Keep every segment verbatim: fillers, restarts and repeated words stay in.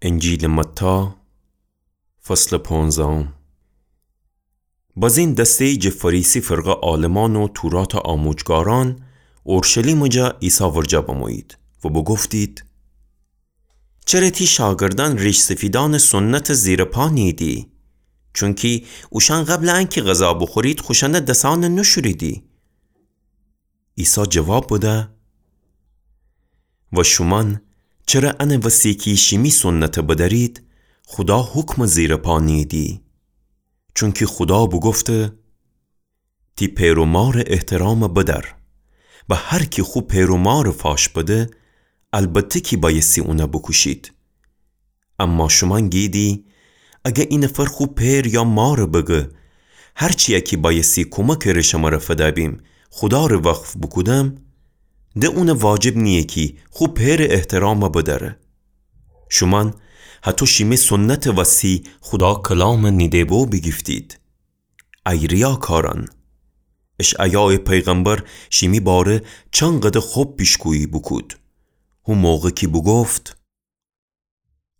انجیلٚ متی، فصلٚ پونزدهم. بزین دسته‌یی جٚه فریسی فرقه عالمان و توراتٚ آموجگارأن اورشلیمٚ جا عیسی ورجه بمویید و بوگفتید: چره تی شاگردأن ریش‌سفیدأنٚ سنتٚ زیرٚ پا نیییدی؟ چونکی اوشأن قبلٚ انکی غذا بوخورید، خوشأنٚ دسأن نوشوریدی. عیسی جواب بده: و شومأن چره انٚ وسی کی شیمی سنت بدأرید، خودا حکمٚ زیرٚ پا نیییدی؟ چونکی خودا بوگفته: تی پئر و مارٚ احترام بدأر. و هر کی خو پئر و مارٚ فاش بده، البته کی بأیستی اون بوکوشید. اما شومأن گییدی: اگر ای نفر خو پئر یا مار بگه: هر چیی کی بأیستی کومکٚ ره شمره فدأ بیم، خودا ره وقف بوکودم، د اون واجب نییه کی خو پئرٚ احترام بدأره. شومأن هطو شیمی سنتٚ وسی خودا کلام نیده بو بیگیفتید. ای ریاکارأن! اشعیایٚ پیغمبر شیمی باره چنقدر خب پیشگویی بوکود. هو موقع کی بوگفت: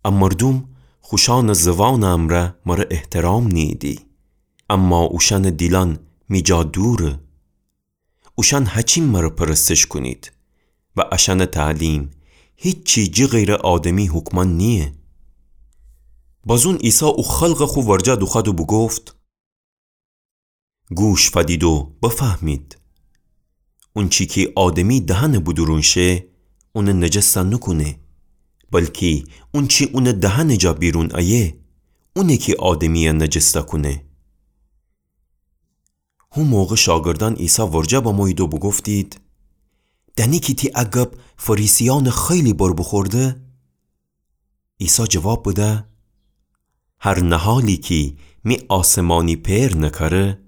ا مردوم خوشأنٚ زوانٚ امرأ مره احترام نیییدی، اما اوشأنٚ دیلأن می جا دوره. اوشأن هچین مره پرستش کونید و اشأنٚ تعلیم هیچی جٚه غیرٚ آدمی حکمأن نییه. بازون عیسی او خلقٚ خو ورجه دوخوأد و بوگفت: گوش فدید و بفهمید. اونچی کی آدمی دهنٚ بودورون شه، اون نجس نوکونه، بلکی اونچی اونٚ دهنٚ جا بیرون ایه، اونه کی آدمیی نجس کونه. هو موقع شاگردأن عیسی ورجه بمویید و بوگفتید: دأنی کی تی ا گب فریسیأنٚ خیلی بر بوخورده؟ عیسی جواب بده: هر نهالی کی می آسمانی پئر نکأره،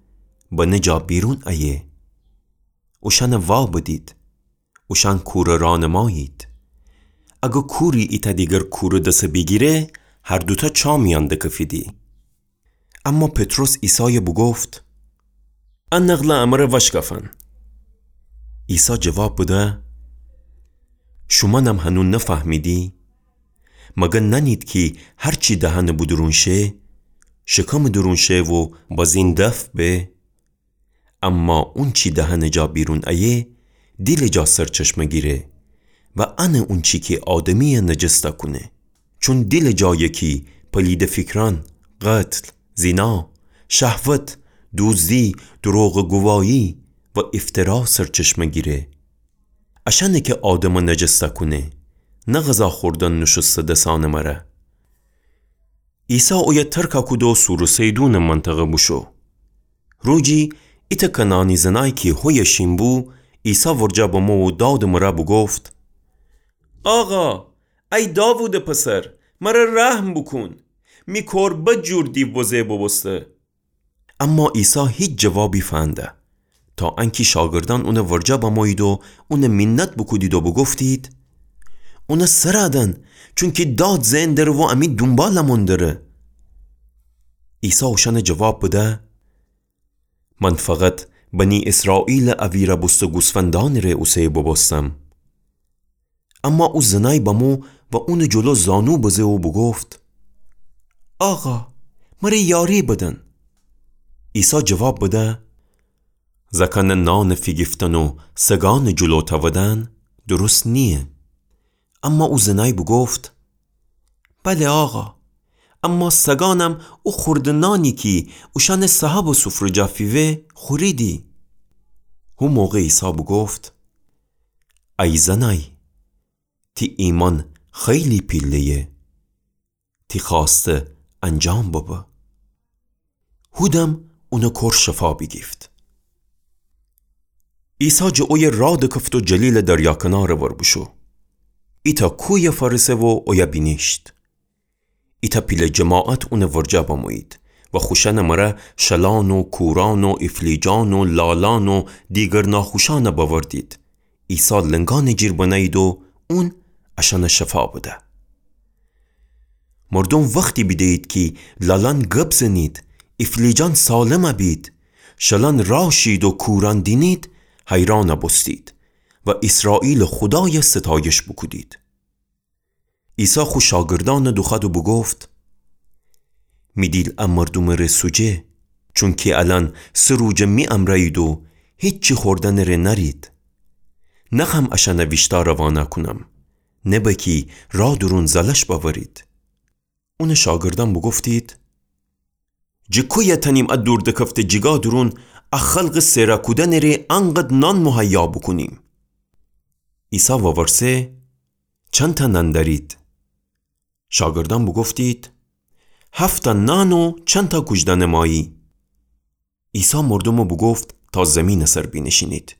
بنه جا بیرون ایه. اوشأن وا بدید، اوشأن کوره رانمایید. اگر کوری ایتأ دیگر کوره دس بیگیره، هر دوتأ چا میأن دکفیدی. اما پطرس عیسای بوگفت: ا نقل امر وشکفن. عیسی جواب بده: شومأنم هنو نفهمیدی؟ مگر نأنید کی هر چی دهنٚ بودورون شه، شکمٚ دورون شه و بزین دفع به؟ اما اونچی دهنٚ جا بیرون ایه، دیلٚ جا سرچشمه گیره و انه اونچی کی آدمیی نجس کونه. چون دیلٚ جایه کی پلیدٚ فیکرأن، قتل، زینا، شهوت، دوزدی، دروغٚ گوایی و افترا سرچشمه گیره. اشأنه کی آدمٚ نجس کونه، نه غذا خوردن نوشوسته دسأنٚ مره. عیسی اویه ترک کود و صورٚ صیدونٚ منطقه بوشو. روجی ایتأ کنعانی زنای کی هویه شین بو، عیسی ورجه بمو و دادٚ مره بوگفت: آقا، ای داوودٚ پسر، مره رحم بوکون. می کور بد جور دیو بزه بوبوسته. اما عیسی هیچ جوابی فنده، تا انکی شاگردأن اونٚ ورجه بمویید و اون مینت بوکودید و بوگفتید: اون سر دن، چونکی داد زئن دره و امی دونبالمون دره. عیسی اوشأن جواب بده: من فقط بنی اسرائیلٚ اویرَ بوسته گوسفندأنٚ ره اوسه بوبوستم. اما او زنای بمو و اونٚ جلو زانو بزه و بوگفت: آقا، مره یاری بدن. عیسی جواب بده: زأکأنٚ نانٚ فیگیفتن و سگأنٚ جلو تأودن درست نییه. اما او زنای بوگفت: بله آقا، اما سگأنم او خوردٚ نانی کی اوشأنٚ صاحبٚ سفره جا فیوه خوریدی. هو موقع عیسی بوگفت: ای زنای، تی ایمأن خیلی پیله‌یه، تی خوأسته انجام ببه. هودم اونٚ کور شفا بیگیفت. عیسی جٚه اویه راه دکفت و جلیلٚ دریا کنارٚ ور بوشو. ایتأ کویه فأرسه و اویه بینیشت. ایتأ پیله جماعت اونٚ ورجه بمویید و خوشأنٚ مره شلأن و کورأن و افلیجأن و لالأن و دیگر ناخوشأن بأوردید. عیسی لنگأنٚ جیر بنه‌یید و اون اشأن شفا بده. مردوم وختی بیده‌یید کی لالأن گب زنید، افلیجأن سالم بید، شلأن راه شید و کورأن دینید، حیرأن بوستید و ایسرائیلٚ خودای ستایش بوکودید. عیسی خو شاگردأنَ دوخوأد و بوگفت: می دیل ا مردومٚ ره سوجه، چونکی الأن سه روجه می امرأیید و هیچی خوردنٚ ره نأرید. نخوأم اشأنَ ویشتأ روانه کونم، نه بأکی رأ دورون زلش بأورید. اونٚ شاگردأن بوگفتید: جٚه کویه تأنیم ا دوردکفته جیگا دورون ا خلقٚ سئرَ کودنٚ ره انقدر نان مهیا بوکونیم؟ عیسی وورسه: چندتأ نان دأرید؟ شاگردأن بوگفتید: هفت‌تأ نان و چندتأ کوجدأنه ماهی. عیسی مردومَ بوگفت تا زیمینٚ سر بینیشینید.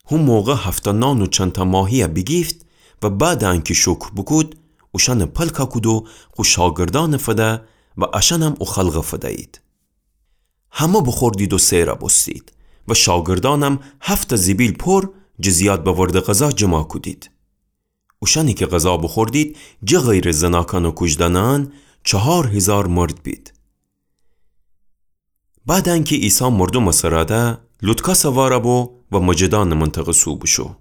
هو موقع هفت‌تأ نان و چندتأ ماهیَ بیگیفت و بعدٚ انکی شکر بوکود، اوشأنَ پلکَ کود و خو شاگردأنَ فده و اشأنم او خلقَ فدیید. همه بوخوردید و سئرَ بوستید و شاگردأنم هفت‌تأ زیبیل پور جٚه زیاد بأورده غذا جمع کودید. اوشأنی کی غذا بوخوردید، جٚه غیرٚ زناکأن و کوجدأنأن، چهار هیزار مرد بید. بعدٚ انکی عیسی مردومَ سرَ ده، لوطکا سوارَ بو و مجدأنٚ منطقه سو بوشو.